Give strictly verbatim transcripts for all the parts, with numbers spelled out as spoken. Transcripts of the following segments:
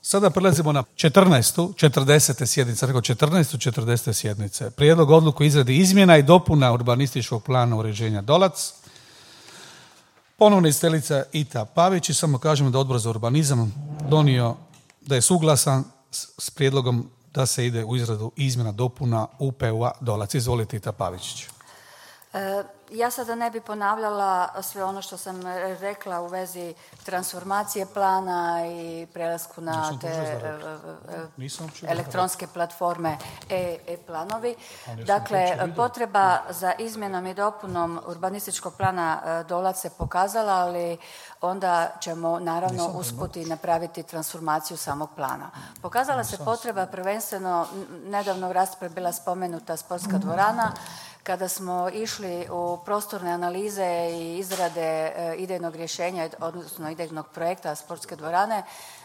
Sada prelazimo na četrnaestu, četrdesete sjednice, rekao četrnaestu, četrdesete sjednice. Prijedlog odluku o izradi izmjena i dopuna urbanističkog plana uređenja Dolac. Ponovno izdeliteljica Ita Pavić i samo kažemo da Odbor za urbanizam donio da je suglasan s, s prijedlogom da se ide u izradu izmjena dopuna U P U-a Dolac. Izvolite, Ita Pavićić. E, ja sada ne bi ponavljala sve ono što sam rekla u vezi transformacije plana i prelasku na te e, elektronske platforme e, e-planovi. Dakle, potreba za izmjenom i dopunom urbanističkog plana Dolac se pokazala, ali onda ćemo naravno usput i napraviti transformaciju samog plana. Pokazala se potreba prvenstveno, nedavno u raspravi bila spomenuta sportska dvorana. Kada smo išli u prostorne analize i izrade idejnog rješenja, odnosno idejnog projekta sportske dvorane,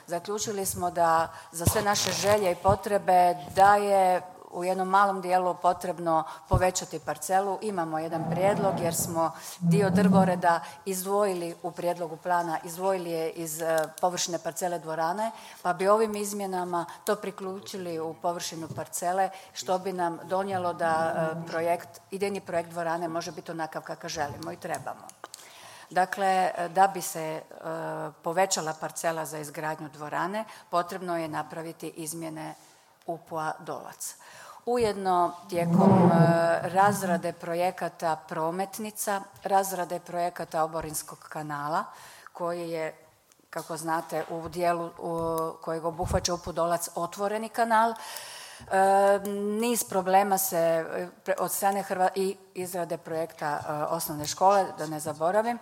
zaključili smo da za sve naše želje i potrebe da je u jednom malom dijelu potrebno povećati parcelu. Imamo jedan prijedlog jer smo dio drvoreda izdvojili u prijedlogu plana, izdvojili je iz površine parcele dvorane, pa bi ovim izmjenama to priključili u površinu parcele, što bi nam donijelo da projekt, idejni projekt dvorane može biti onakav kakav želimo i trebamo. Dakle, da bi se povećala parcela za izgradnju dvorane, potrebno je napraviti izmjene U P U-a Dolac. Ujedno, tijekom razrade projekata prometnica, razrade projekata oborinskog kanala, koji je, kako znate, u dijelu kojeg obuhvaća U P U Dolac otvoreni kanal, niz problema se od strane Hrva- i izrade projekta osnovne škole, da ne zaboravim,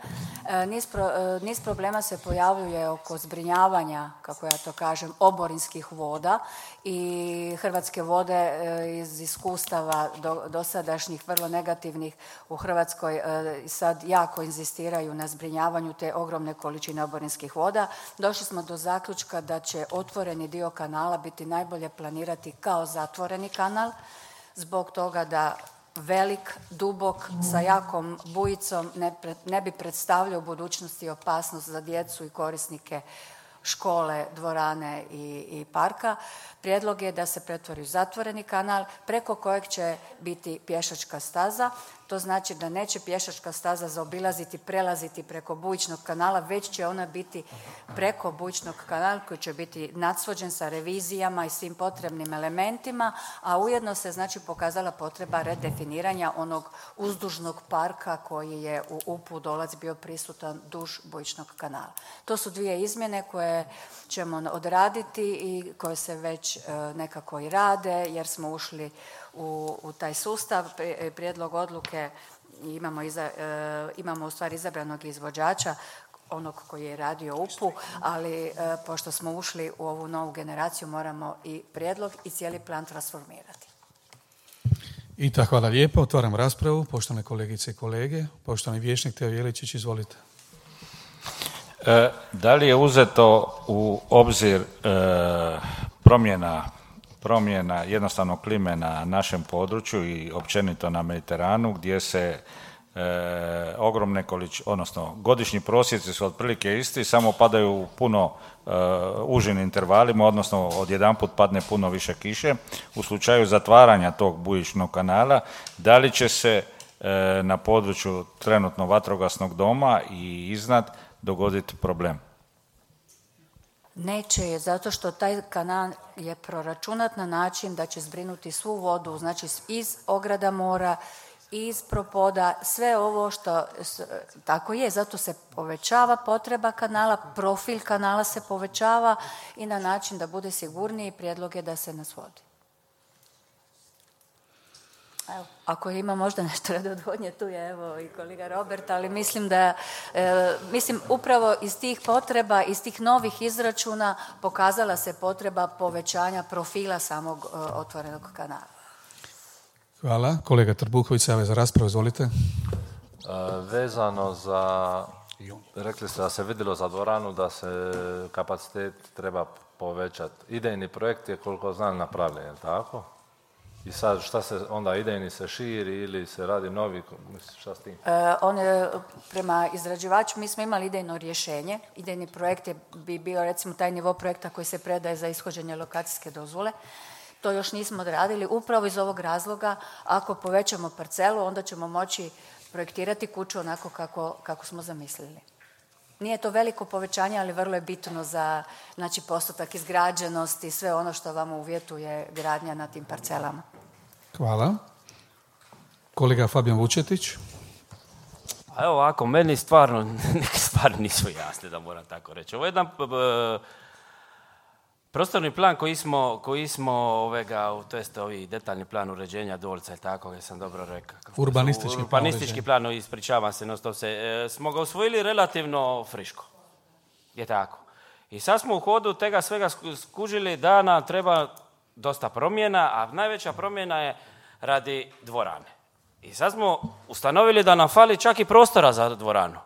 niz, pro, niz problema se pojavljuje oko zbrinjavanja, kako ja to kažem, oborinskih voda i Hrvatske vode iz iskustava do, dosadašnjih vrlo negativnih u Hrvatskoj sad jako inzistiraju na zbrinjavanju te ogromne količine oborinskih voda. Došli smo do zaključka da će otvoreni dio kanala biti najbolje planirati kao zatvoreni kanal, zbog toga da velik, dubok, sa jakom bujicom ne, pre, ne bi predstavljao u budućnosti opasnost za djecu i korisnike škole, dvorane i, i parka. Prijedlog je da se pretvori u zatvoreni kanal preko kojeg će biti pješačka staza. To znači da neće pješačka staza zaobilaziti, prelaziti preko bujičnog kanala, već će ona biti preko bujičnog kanala koji će biti nadsvođen sa revizijama i svim potrebnim elementima, a ujedno se znači pokazala potreba redefiniranja onog uzdužnog parka koji je u U P U Dolac bio prisutan duž bujičnog kanala. To su dvije izmjene koje ćemo odraditi i koje se već e, nekako i rade jer smo ušli u, u taj sustav. Prijedlog odluke imamo, iza, e, imamo u stvari izabranog izvođača, onog koji je radio U P U, ali e, pošto smo ušli u ovu novu generaciju moramo i prijedlog i cijeli plan transformirati. Ita, hvala lijepo. Otvaram raspravu. Poštovane kolegice i kolege. Poštovani vijećnik Teo Jeličić, izvolite. E, da li je uzeto u obzir e, promjena, promjena jednostavno klime na našem području i općenito na Mediteranu gdje se e, ogromne količine, odnosno godišnji prosjeci su otprilike isti, samo padaju u puno e, užim intervalima, odnosno odjedanput padne puno više kiše. U slučaju zatvaranja tog bujičnog kanala, da li će se e, na području trenutno vatrogasnog doma i iznad dogoditi problem? Neće je, zato što taj kanal je proračunat na način da će zbrinuti svu vodu, znači iz ograda mora, iz propoda, sve ovo što, tako je, zato se povećava potreba kanala, profil kanala se povećava i na način da bude sigurniji. Prijedlog je da se nas vodi. Evo, ako ima možda nešto radi odvodnje, tu je evo i kolega Robert, ali mislim da, e, mislim upravo iz tih potreba, iz tih novih izračuna pokazala se potreba povećanja profila samog e, otvorenog kanala. Hvala. Kolega Trbuhović se javlja za raspravu, izvolite. E, vezano za, rekli ste da se vidjelo za dvoranu da se kapacitet treba povećati. Idejni projekt je, koliko znam, napravljen, je li tako? I sad šta se onda idejni se širi ili se radi novi, šta s tim? E, on je prema izrađivaču, mi smo imali idejno rješenje. Idejni projekt je, bi bio recimo taj nivo projekta koji se predaje za ishođenje lokacijske dozvole. To još nismo odradili upravo iz ovog razloga. Ako povećamo parcelu, onda ćemo moći projektirati kuću onako kako, kako smo zamislili. Nije to veliko povećanje, ali vrlo je bitno za, znači, postotak izgrađenosti i sve ono što vam uvjetuje gradnja na tim parcelama. Hvala. Kolega Fabijan Vučetić. A evo ovako, meni stvarno neke stvari nisu jasne, da moram tako reći. Ovo je jedan uh, prostorni plan koji smo, koji smo ovega, to jest ovi detaljni plan uređenja Dolca, ili tako, ja sam dobro rekao. Urbanistički, Urbanistički plan, plan ispričavam se, no to se, e, smo ga usvojili relativno friško. Je tako. I sad smo u hodu tega svega skužili da nam treba dosta promjena, a najveća promjena je radi dvorane. I sad smo ustanovili da nam fali čak i prostora za dvoranu.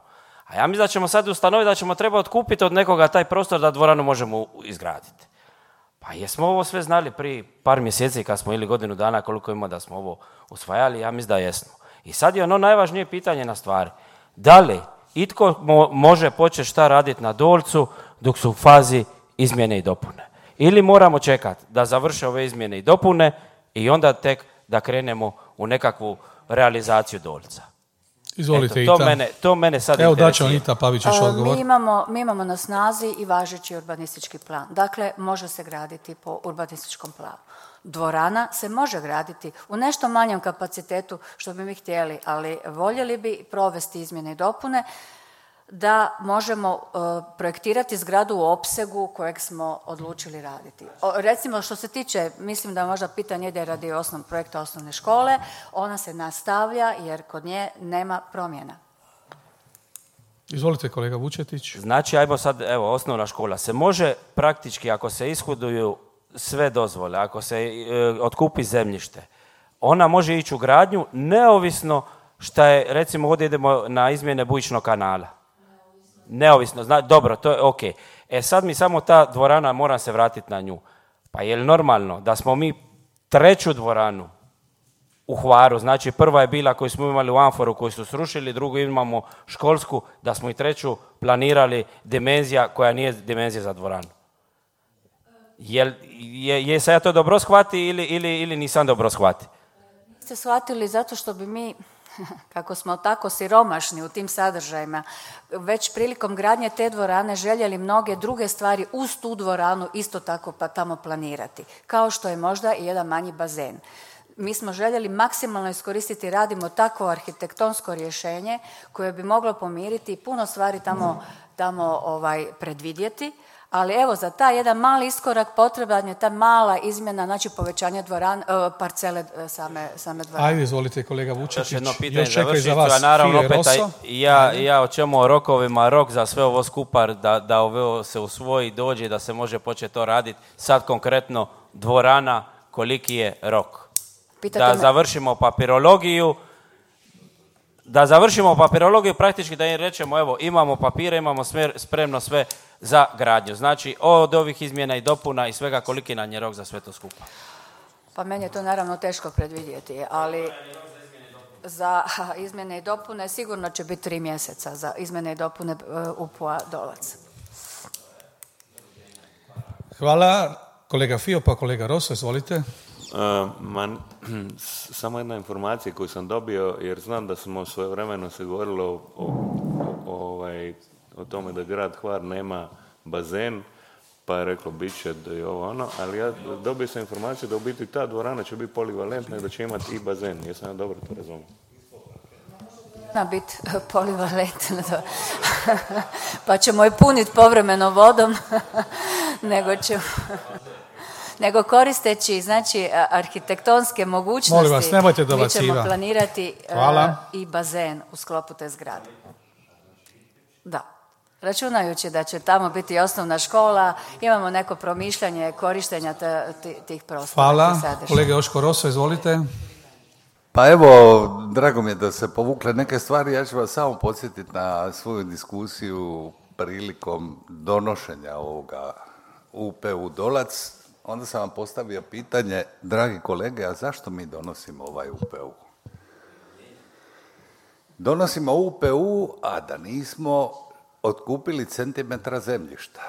A ja mislim da ćemo sad ustanoviti da ćemo treba otkupiti od nekoga taj prostor da dvoranu možemo izgraditi. Pa jesmo ovo sve znali prije par mjeseci kad smo ili godinu dana koliko ima da smo ovo usvajali, ja mislim da jesmo. I sad je ono najvažnije pitanje na stvari. Da li itko mo- može početi šta raditi na Dolcu dok su u fazi izmjene i dopune? Ili moramo čekati da završe ove izmjene i dopune i onda tek da krenemo u nekakvu realizaciju Dolca? Izvolite, Eto, to Ita. Mene, to mene sad Evo interesira. daće Ita Pavićić odgovor. Mi imamo, mi imamo na snazi i važeći urbanistički plan. Dakle, može se graditi po urbanističkom planu. Dvorana se može graditi u nešto manjem kapacitetu što bi mi htjeli, ali voljeli bi provesti izmjene i dopune da možemo uh, projektirati zgradu u opsegu kojeg smo odlučili raditi. O, recimo što se tiče, mislim da možda pitanje ide radi osnovnog projekta osnovne škole, ona se nastavlja jer kod nje nema promjena. Izvolite kolega Vučetić. Znači, ajmo sad, evo, osnovna škola se može praktički, ako se ishoduju sve dozvole, ako se e, otkupi zemljište, ona može ići u gradnju neovisno šta je, recimo ovdje idemo na izmjene bujičnog kanala. Neovisno, zna, dobro, to je ok. E sad mi samo ta dvorana, moram se vratiti na nju. Pa je li normalno da smo mi treću dvoranu u Hvaru, znači prva je bila koju smo imali u Amforu koju su srušili, drugu imamo školsku, da smo i treću planirali dimenzija koja nije dimenzija za dvoranu. Je, je, je se ja to dobro shvati ili, ili, ili nisam dobro shvati? Ste shvatili zato što bi mi, kako smo tako siromašni u tim sadržajima, već prilikom gradnje te dvorane željeli mnoge druge stvari uz tu dvoranu isto tako pa tamo planirati, kao što je možda i jedan manji bazen. Mi smo željeli maksimalno iskoristiti, radimo takvo arhitektonsko rješenje koje bi moglo pomiriti puno stvari tamo, tamo ovaj, predvidjeti, ali evo za taj jedan mali iskorak potreban je ta mala izmjena, znači povećanje dvoran, parcele same, same dvorane. Ajde, izvolite kolega Vučetić. Još jedno pitanje Još čekaj za završiti, vas a naravno Fije opet Rosso. ja, ja o čemu o rokovima, rok za sve ovo skupa, da, da ovo se usvoji, dođe, da se može početi to raditi. Sad konkretno dvorana, koliki je rok? Pitate da me... završimo papirologiju, da završimo papirologiju praktički da im rečemo evo imamo papire, imamo smer, spremno sve za gradnju. Znači od ovih izmjena i dopuna i svega koliki nam je rok za sve to skupa. Pa meni je to naravno teško predvidjeti, ali za izmjene i dopune sigurno će biti tri mjeseca za izmjene i dopune U P U-a Dolac. Hvala. Kolega Fio pa kolega Rosso, izvolite. Uh, man, samo jedna informacija koju sam dobio, jer znam da smo svojevremeno se govorilo o, o, o, ovaj, o tome da grad Hvar nema bazen, pa je reklo bit će da je ovo ono, ali ja dobio sam informaciju da u biti ta dvorana će biti polivalentna i da će imati i bazen. Jesam ja dobro to razumio? Na biti polivalentna, pa ćemo je puniti povremeno vodom, nego ćemo... nego koristeći, znači, arhitektonske mogućnosti, molim vas, nemojte mi ćemo planirati uh, i bazen u sklopu te zgrade. Da. Računajući da će tamo biti osnovna škola, imamo neko promišljanje korištenja t- t- tih prostora. Hvala. Kolega Joško Rosso, izvolite. Pa evo, drago mi je da se povukle neke stvari. Ja ću vas samo podsjetiti na svoju diskusiju prilikom donošenja ovoga U P U Dolac. onda sam vam postavio pitanje, dragi kolege, a zašto mi donosimo ovaj U P U? Donosimo U P U, a da nismo otkupili centimetra zemljišta.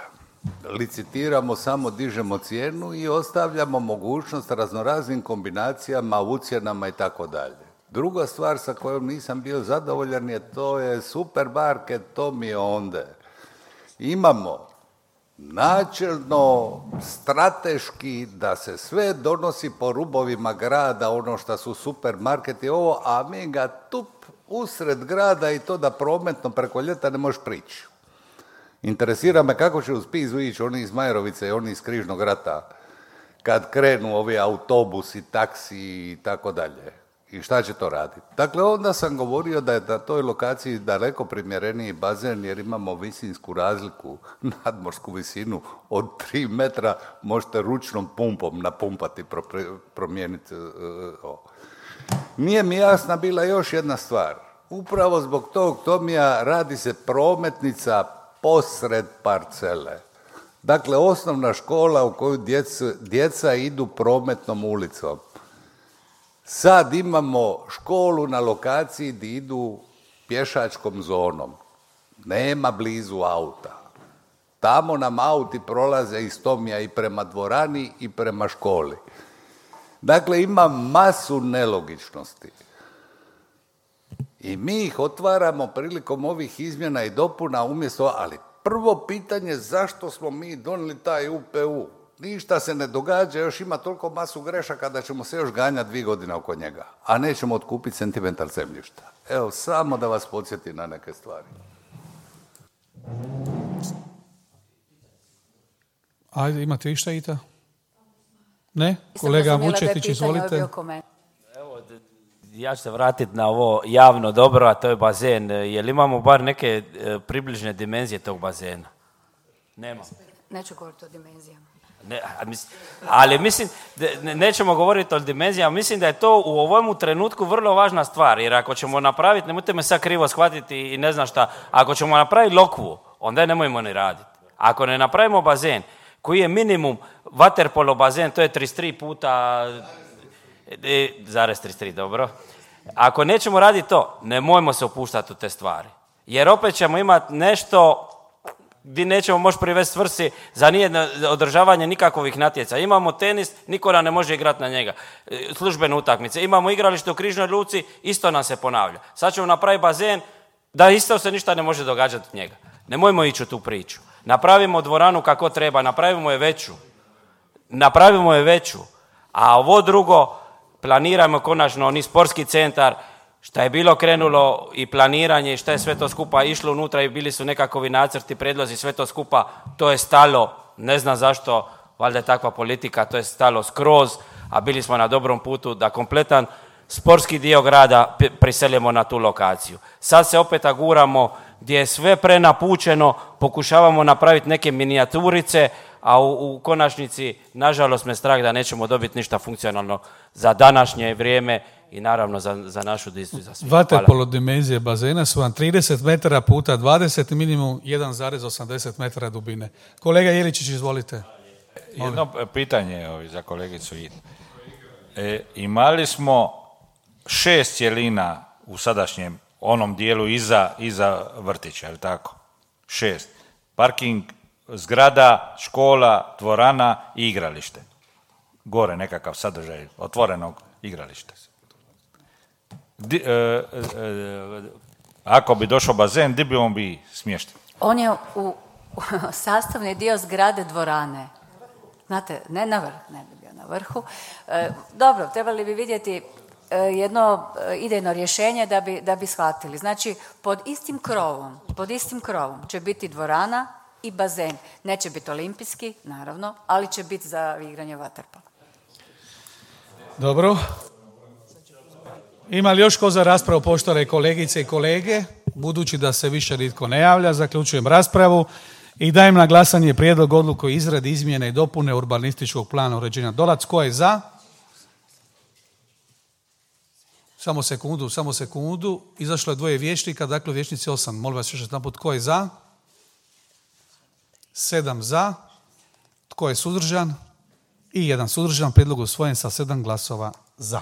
Licitiramo, samo dižemo cijenu i ostavljamo mogućnost raznoraznim kombinacijama, ucjenama i tako dalje. Druga stvar sa kojom nisam bio zadovoljan je to je supermarket, to mi je onda. Imamo načelno, strateški, da se sve donosi po rubovima grada, ono što su supermarketi, ovo, a mi ga tup usred grada i to da prometno preko ljeta ne možeš prići. Interesira me kako će uz Pizu ići oni iz Majerovice i oni iz Križnog rata kad krenu ovi autobusi, taksi i tako dalje. I šta će to raditi? Dakle, onda sam govorio da je na toj lokaciji daleko primjereniji bazen jer imamo visinsku razliku, nadmorsku visinu od tri metra, možete ručnom pumpom napumpati, promijeniti. Nije mi jasna bila još jedna stvar. Upravo zbog tog Tomija radi se prometnica posred parcele. Dakle, osnovna škola u koju djeca, djeca idu prometnom ulicom. Sad imamo školu na lokaciji gdje idu pješačkom zonom. Nema blizu auta. Tamo nam auti prolaze iz Tomija i prema dvorani i prema školi. Dakle, ima masu nelogičnosti. I mi ih otvaramo prilikom ovih izmjena i dopuna umjesto, ali prvo pitanje zašto smo mi donijeli taj U P U? Ništa se ne događa, još ima toliko masu grešaka da ćemo se još ganjati dvije godine oko njega, a nećemo otkupiti centimetar zemljišta. Evo, samo da vas podsjetim na neke stvari. Ajde, imate išta, Ita? Ne? Kolega Vučetić, izvolite. Evo, ja ću se vratiti na ovo javno dobro, a to je bazen. Jel imamo bar neke e, približne dimenzije tog bazena? Nema. Neću govoriti o dimenzijama. Ne, ali mislim, ne, nećemo govoriti o dimenzijama, mislim da je to u ovom trenutku vrlo važna stvar, jer ako ćemo napraviti, nemojte me sad krivo shvatiti i ne znam šta, ako ćemo napraviti lokvu, onda je nemojmo ni raditi. Ako ne napravimo bazen, koji je minimum vaterpolo bazen, to je trideset tri puta, zarez trideset tri, dobro. Ako nećemo raditi to, nemojmo se upuštati u te stvari, jer opet ćemo imati nešto gdje nećemo moći privesti svrsi za nijedno održavanje nikakvih natjeca. Imamo tenis, niko nam ne može igrati na njega. Službene utakmice. Imamo igralište u Križnoj luci, isto nam se ponavlja. Sad ćemo napraviti bazen, da isto se ništa ne može događati od njega. Nemojmo ići u tu priču. Napravimo dvoranu kako treba, napravimo je veću. Napravimo je veću. A ovo drugo, planiramo konačno ni sportski centar, šta je bilo krenulo i planiranje i šta je sve to skupa išlo unutra i bili su nekakvi nacrti, predlozi, sve to skupa, to je stalo, ne znam zašto, valjda je takva politika, to je stalo skroz, a bili smo na dobrom putu da kompletan sportski dio grada priselimo na tu lokaciju. Sad se opet aguramo gdje je sve prenapučeno, pokušavamo napraviti neke minijaturice, a u, u konačnici, nažalost, me strah da nećemo dobiti ništa funkcionalno za današnje vrijeme i naravno za, za našu distu i za sve. Vaterpolo dimenzije bazena su vam trideset metara puta dvadeset, minimum jedan zarez osamdeset metara dubine. Kolega Jeličić, izvolite. Jedno pitanje ovi, za kolegicu Inu. E, imali smo šest cjelina u sadašnjem onom dijelu iza, iza vrtića, je li tako? Šest. Parking, zgrada, škola, dvorana i igralište. Gore nekakav sadržaj otvorenog igrališta. Di, e, e, ako bi došao bazen, gdje bi on bi smješten? On je u, u sastavni dio zgrade dvorane. Znate, ne na vrh, ne bi bio na vrhu. E, dobro, trebali bi vidjeti e, jedno e, idejno rješenje da bi, da bi shvatili. Znači, pod istim krovom, pod istim krovom će biti dvorana i bazen. Neće biti olimpijski, naravno, ali će biti za igranje vaterpola. Dobro. Ima li još ko za raspravu, poštovane kolegice i kolege? Budući da se više nitko ne javlja, zaključujem raspravu i dajem na glasanje prijedlog odluke o izradi izmjene i dopune urbanističkog plana uređenja Dolac. Tko je za? Samo sekundu, samo sekundu. Izašlo je dvoje vijećnika, dakle vijećnici osam. Molim vas još jedanput, tko je za? Sedam za. Tko je suzdržan? i jedan suzdržan. Prijedlog usvojen sa sedam glasova za.